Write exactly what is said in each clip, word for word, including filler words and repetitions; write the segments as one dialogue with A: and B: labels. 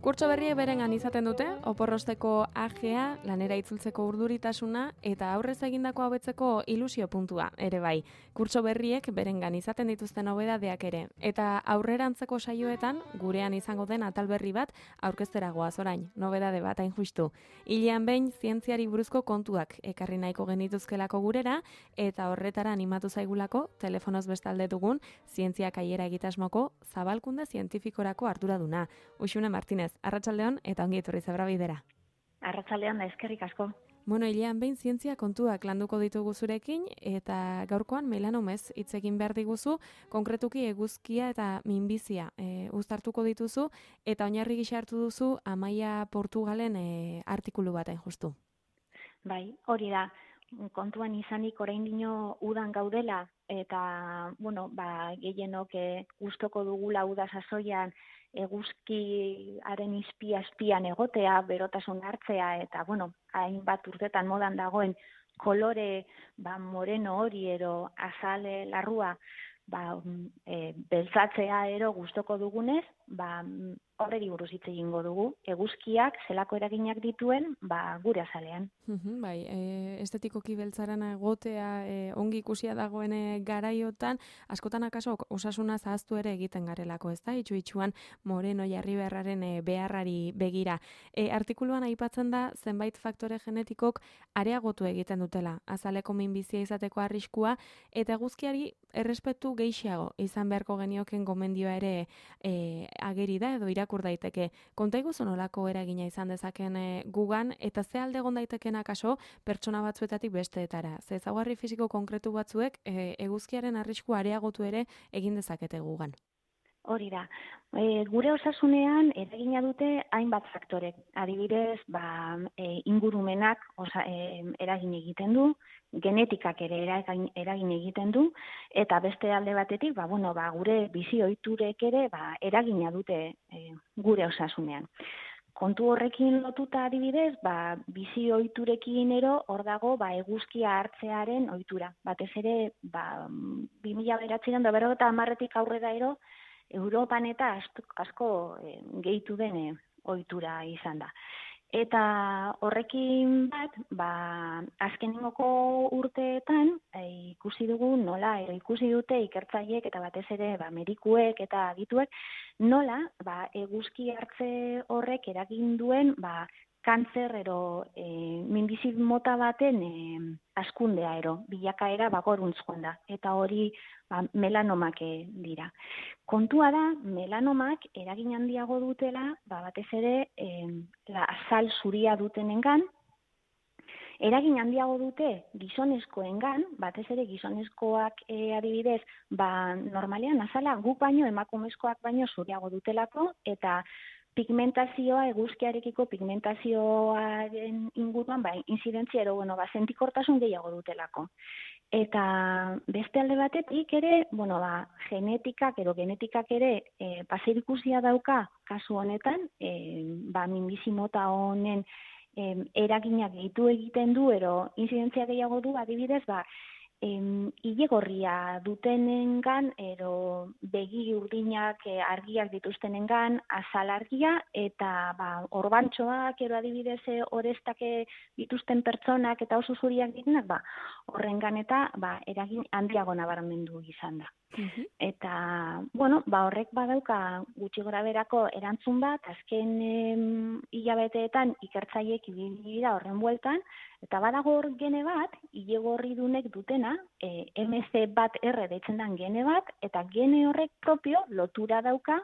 A: Kurtso berriek berengan izaten dute, oporrosteko agea, lanera itzultzeko urduritasuna eta aurrez egindako hobetzeko ilusio puntua ere bai. Kurtso berriek berengan izaten dituzten nobedadeak ere. Eta aurrerantzeko saioetan, gurean izango den atal berri bat aurkeztera goaz orain, nobedade bat hain justu. Hilean behin zientziari buruzko kontuak ekarri nahiko genituzkelako gurera eta horretara animatu zaigulako telefonoz bestalde dugun zientziak aiera egitasmoko zabalkunde zientifikorako arduraduna. Uxune Martinez, arratsaldeon eta ongi etorri Zebra Bidera.
B: Arratsaldeon da, eskerrik asko.
A: Bueno, hilean behin zientzia kontuak landuko ditugu zurekin eta gaurkoan melanomez hitz egin behar diguzu, konkretuki eguzkia eta minbizia e, uztartuko dituzu eta oinarri gisa hartu duzu Amaia Portugalen e, artikulu baten justu.
B: Bai, hori da. Kontuan izanik oraindino udan gaudela eta bueno, ba gehienok e, gustoko dugula uda sasoian eguzkiaren izpia azpian egotea, berotasun hartzea eta bueno, hainbat urtetan modan dagoen kolore ba moreno hori ero azale larrua ba e, beltzatzea ero gustoko dugunez, ba horreri buruz hitz egingo dugu, eguzkiak zelako eraginak dituen, ba gure azalean.
A: Uhum, bai, e, estetikoki beltzarana egotea e, ongi ikusia dagoen e, garaiotan, askotan akaso osasuna zahaztu ere egiten garelako, ezta? Itxu-itxuan moreno jarri beharraren e, beharrari begira. E, artikuluan aipatzen da zenbait faktore genetikok areagotu egiten dutela, azaleko minbizia izateko arriskua eta eguzkiari errespetu gehiago izan beharko genioken gomendioa ere e, ageri da edo irakur daiteke. Konta iguzu nolako eragina izan dezaken e, gugan eta ze alde egon daiteken akaso pertsona batzuetatik besteetara. Ze ezaugarri fisiko konkretu batzuek e, eguzkiaren arrisku areagotu ere egin dezakete gugan.
B: Hori da. E, gure osasunean eragina dute hainbat faktorek. Adibidez, ba, e, ingurumenak osa, e, eragin egiten du, genetikak ere eragin, eragin egiten du, eta beste alde batetik, ba, bueno, ba, gure bizi ohiturek ere ba, eragina dute e, gure osasunean. Kontu horrekin lotuta adibidez, ba, bizi ohiturekin ero hor dago ba, eguzkia hartzearen ohitura. Batez ere, ba, bi mila bederatziehun eta berrogeita hamarretik aurrera ero, Europan eta asko e, gehitu den e, ohitura izan da. Eta horrekin bat, ba, azkenengoko urteetan e, ikusi dugu nola, ero ikusi dute ikertzaileek eta batez ere ba, medikuek eta adituek, nola ba, eguzki hartze horrek eragin duen ba, kantzer ero e, minbizi mota baten e, askundea ero, bilakaera bagoruntz joan da. Eta hori ba, melanomak e, dira. Kontua da, melanomak eragin handiago dutela, ba, batez ere e, la azal zuria dutenengan, eragin handiago dute gizonezkoengan, batez ere gizonezkoak e, adibidez, ba, normalean azala guk baino emakumezkoak baino zuriago dutelako, eta pigmentazioa, eguzkiarekiko pigmentazioaren inguruan, ba, inzidentzia ero, bueno, ba, sentikortasun gehiago dutelako. Eta beste alde batetik ere, bueno, ba, genetikak edo genetikak ere e, paserikusia dauka kasu honetan, e, ba, minbizi mota honen e, eraginak gehitu egiten du, ero inzidentzia gehiago du, adibidez, ba, Em, ile gorria dutenengan, ero begi urdinak e, argiak dituztenengan, azal argia, eta ba, orbantxoak, ero adibidez, e, orestake dituzten pertsonak eta oso zuriak direnak, ba, horrengan eta ba, eragin handiago nabarmendu izan da. Uh-huh. Eta, bueno, ba, horrek badauka gutxi gora berako erantzun bat, azken em, hilabeteetan ikertzaileek ibili dira horren bueltan, eta badago hor gene bat, ile gorridunek dutena, e, M C bat R deitzen den gene bat, eta gene horrek propio lotura dauka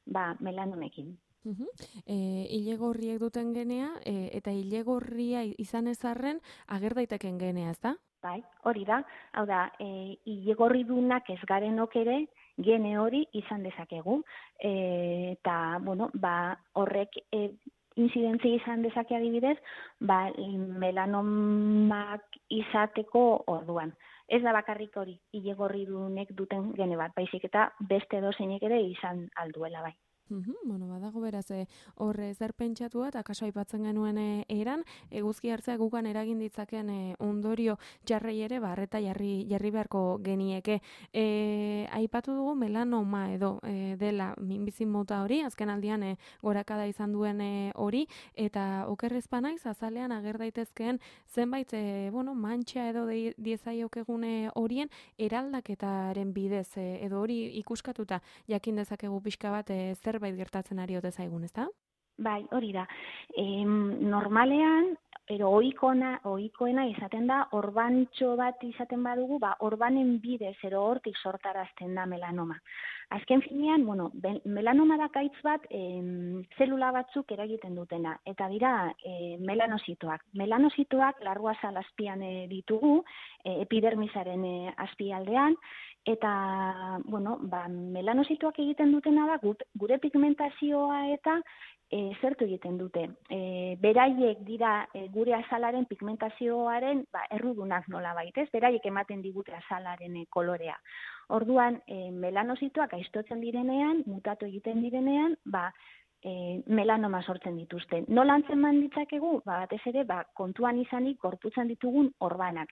B: ba, melanomekin.
A: Uh-huh. E, ile gorriek duten genea, e, eta ile gorria izan ezarren ager daiteken genea, ezta?
B: Bai, hori da. Hau da, e, ile gorridunak ez garenok ere gene hori izan dezakegu. E, eta, bueno, ba, horrek e, inzidentzia izan dezake adibidez, ba, melanomak izateko orduan. ez da bakarrik hori ile gorridunek duten gene bat, baizik eta beste edozeinek ere izan alduela bai.
A: Uhum, bueno, badago beraz, horre e, zer pentsatua, eta kaso aipatzen genuen e, eran, eguzki hartzea gugan eragin ditzaken e, ondorio jarrei ere, barreta jarri, jarri beharko genieke. E, aipatu dugu melanoma edo e, dela minbizi mota hori, azken aldian e, gorakada izan duen e, hori, eta okerrezpa naiz, azalean ager daitezkeen zenbait, e, bueno, mantxa edo diezaiokegune horien eraldaketaren bidez, e, edo hori ikuskatuta jakin dezakegu pixka bat e, zer zerbait gertatzen ari ote zaigun, ezta?
B: Bai, hori da. E, normalean, ero ohikona, ohikoena izaten da, orbantxo bat izaten badugu, ba, orbanen bidez, ero hortik sortarazten da melanoma. Azken finean, bueno, melanoma da gaitz bat em, zelula batzuk eragiten dutena, eta dira e, melanositoak. Melanositoak larruazal azpian e, ditugu, e, epidermisaren e, azpialdean, eta, bueno, ba, melanositoak egiten dutena da, gure pigmentazioa eta e, zertu egiten dute. E, beraiek dira e, gure azalaren pigmentazioaren ba, errudunak nola baitez, beraiek ematen digute azalaren e, kolorea. Orduan, e, melanositoak aiztotzen direnean, mutatu egiten direnean, ba, E, melanoma sortzen dituzte. Nola antzeman ditzakegu? Ba, batez ere, ba, kontuan izanik gorputzan ditugun orbanak.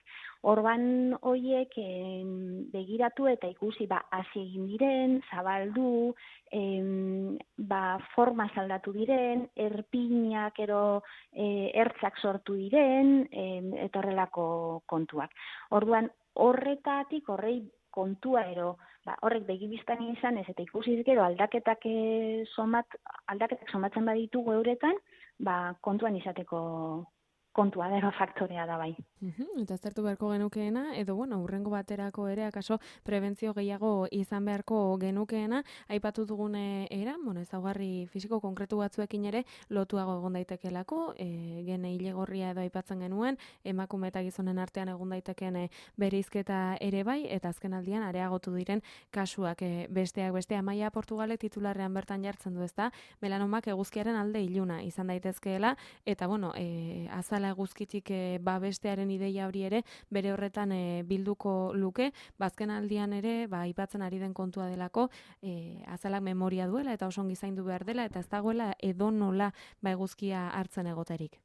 B: Orban horiek e, begiratu eta ikusi ba, hasi egin diren, zabaldu, e, ba, forma aldatu diren, erpinak ero e, ertzak sortu diren, e, eta horrelako kontuak. Orduan, horretatik, horrei kontua ero, ba, horrek begibiztan izan ez, eta ikusiz gero aldaketak, e, somat, aldaketak somatzen baditugu euretan, ba, kontuan izateko kontua dero faktorea da bai.
A: Uhum, eta zertu beharko genukeena, edo bueno, urrengo baterako ere, akaso prebentzio gehiago izan beharko genukeena, aipatu dugune era, bueno, ezaugarri fisiko konkretu batzuekin ere lotuago egon daitekelako, e, gene ilegorria edo aipatzen genuen, emakume eta gizonen artean egon daiteken e, bereizketa ere bai, eta azken aldian areagotu diren kasuak e, besteak bestea. Maia Portugalek titularrean bertan jartzen du, ezta, melanomak eguzkiaren alde iluna izan daitezkeela, eta bueno, e, azal eguzkitik e, babestearen ideia hori ere bere horretan e, bilduko luke, bazken aldian ere ba aipatzen ari den kontua delako, e, azalak memoria duela eta oso ongi zaindu behar dela eta ez dagoela edonola ba eguzkia hartzen egoterik.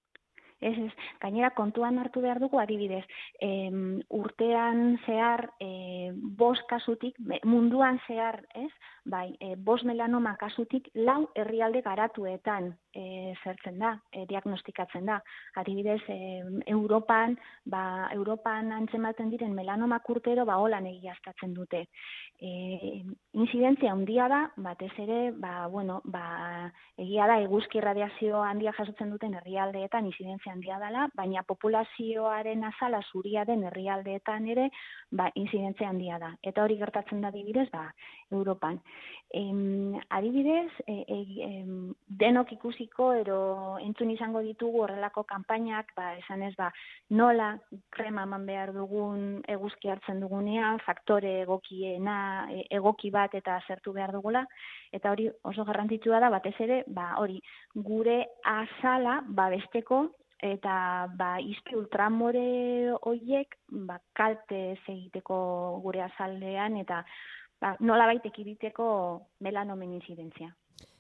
B: Ez, ez, gainera kontuan hartu behar dugu adibidez, e, urtean zehar e, bost kasutik, munduan zehar, ez, bai, e, bost melanoma kasutik lau herrialde garatuetan e, zertzen da, e, diagnostikatzen da. Adibidez, e, Europan, ba, Europan antzematen diren melanoma urtero, ba, holan egiaztatzen dute. E, incidentzia handia da, batez ere, ba, bueno, ba, egia da, eguzki radiazio handia jasotzen duten herrialdeetan incidentzia handia dela, baina populazioaren azala zuria den herrialdeetan ere, ba, incidentzia handia da. Eta hori gertatzen da adibidez, ba, Europan. Em, adibidez, e, e, em, denok ikusiko ero entzun izango ditugu horrelako kanpainak, ba, esan ez, ba, nola krema eman behar dugun eguzki hartzen dugunean, faktore egokiena, egoki bat eta zertu behar dugula, eta hori oso garrantzitsua da, batez ere, ba, hori gure azala babesteko, eta ba, izpi ultramore horiek ba, kalte egiteko gure azaldean, eta ba, nola baitek ekiditeko melanomen inzidentzia.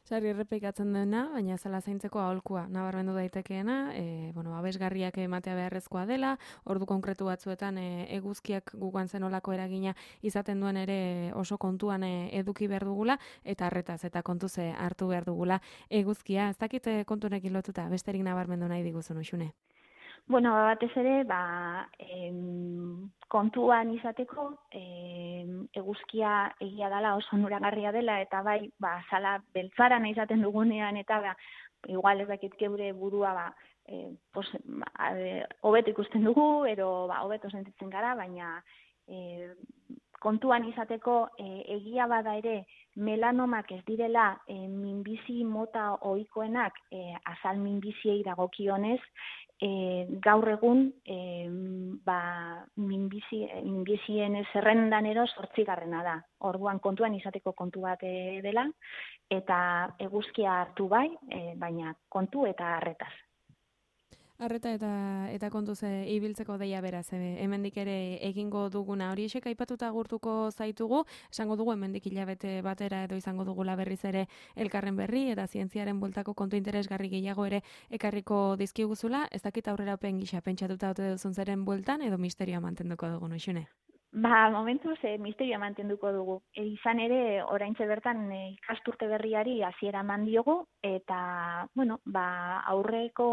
A: Sarri errepikatzen dena, baina zela zaintzeko aholkua nabarmendu daitekeena, e, bueno, abesgarriak ematea beharrezkoa dela, ordu konkretu batzuetan e, eguzkiak gugan zenolako eragina izaten duen ere oso kontuan e, eduki behar dugula, eta harretaz eta kontuze hartu behar dugula eguzkia. Ez dakit kontunekin lotuta, besterik nabarmendu nahi diguzun, Uxune?
B: Bueno, batez ere, ba, em, kontuan izateko, em, eguzkia egia dela oso onuragarria dela, eta bai, ba, zala beltzara nahi izaten dugunean, eta ba, igual ez dakit geure burua, ba, e, pos, ba, hobeto ikusten dugu, ero ba, hobeto sentitzen gara, baina e, kontuan izateko e, egia bada ere melanomak ez direla e, minbizi mota ohikoenak e, azal minbiziei dagokionez, E, gaur egun e, ba, minbizi, minbizien zerrendan ero zortzigarrena da. Orduan kontuan izateko kontu bat e, dela, eta eguzkia hartu bai, e, baina kontu eta harretaz.
A: Arreta eta eta kontuz e, ibiltzeko deia beraz, e, hemendik ere egingo duguna. Hori esek aipatuta agurtuko zaitugu, esango dugu hemendik hilabete batera edo izango dugula berriz ere elkarren berri eta zientziaren bueltako kontu interesgarri gehiago ere ekarriko dizkiguzula. Ez dakit aurrerapen gisa pentsatuta ote duzun zeren bueltan edo misterioa mantenduko dugu, Noixune?
B: Ba, momentuz, e, misterioa mantenduko dugu. E, izan ere, oraintxe bertan e, ikasturte berriari hasiera eman diogu, eta, bueno, ba, aurreko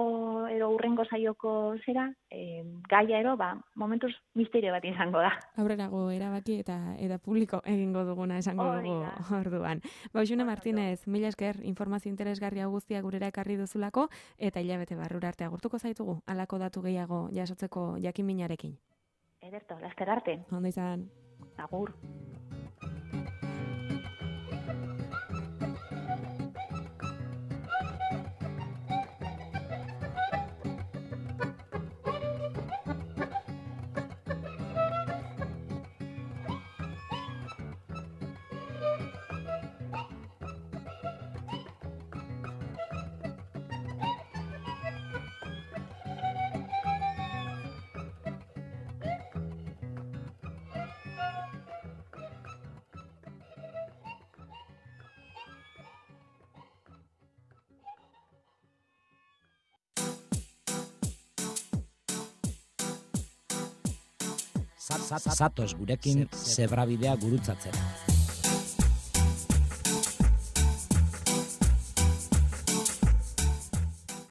B: edo aurrengo saioko zera, e, gaia ero, ba, momentuz misterio bat izango da.
A: Aurrerago erabaki eta eta publiko egingo duguna esango dugu orduan. Noixune Martinez, mila esker informazio interesgarria guztia gurera ekarri duzulako, eta hilabete barrura arte agurtuko zaitugu, halako datu gehiago jasotzeko jakinminarekin.
B: Ederto, laster arte.
A: Ondo izan.
B: Agur.
C: Zatoz gurekin zebrabidea gurutzatzera.